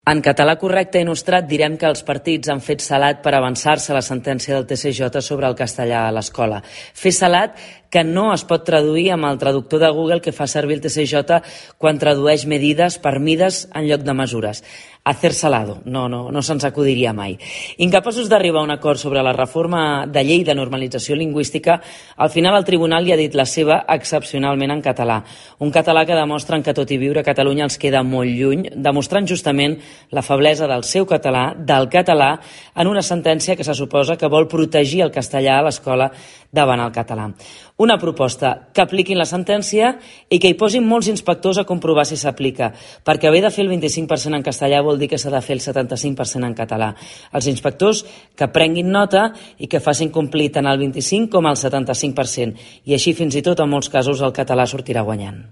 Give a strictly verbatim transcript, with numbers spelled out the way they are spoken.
En català correcte i nostrat direm que els partits han fet salat per avançar-se a la sentència del T C J sobre el castellà a l'escola. Fer salat que no es pot traduir amb el traductor de Google que fa servir el T C J quan tradueix medides per mides en lloc de mesures. Hacer salado, no, no, no se'ns acudiria mai. Incapaços d'arribar a un acord sobre la reforma de llei de normalització lingüística, al final el tribunal hi ha dit la seva excepcionalment en català. Un català que demostren que tot i viure a Catalunya els queda molt lluny, demostrant justament la feblesa del seu català, del català, en una sentència que se suposa que vol protegir el castellà a l'escola davant el català. Una proposta que apliquin la sentència i que hi posin molts inspectors a comprovar si s'aplica, perquè haver de fer el vint-i-cinc per cent en castellà vol dir que s'ha de fer el setanta-cinc per cent en català. Els inspectors que prenguin nota i que facin complir tant el vint-i-cinc com el setanta-cinc per cent, i així fins i tot en molts casos el català sortirà guanyant.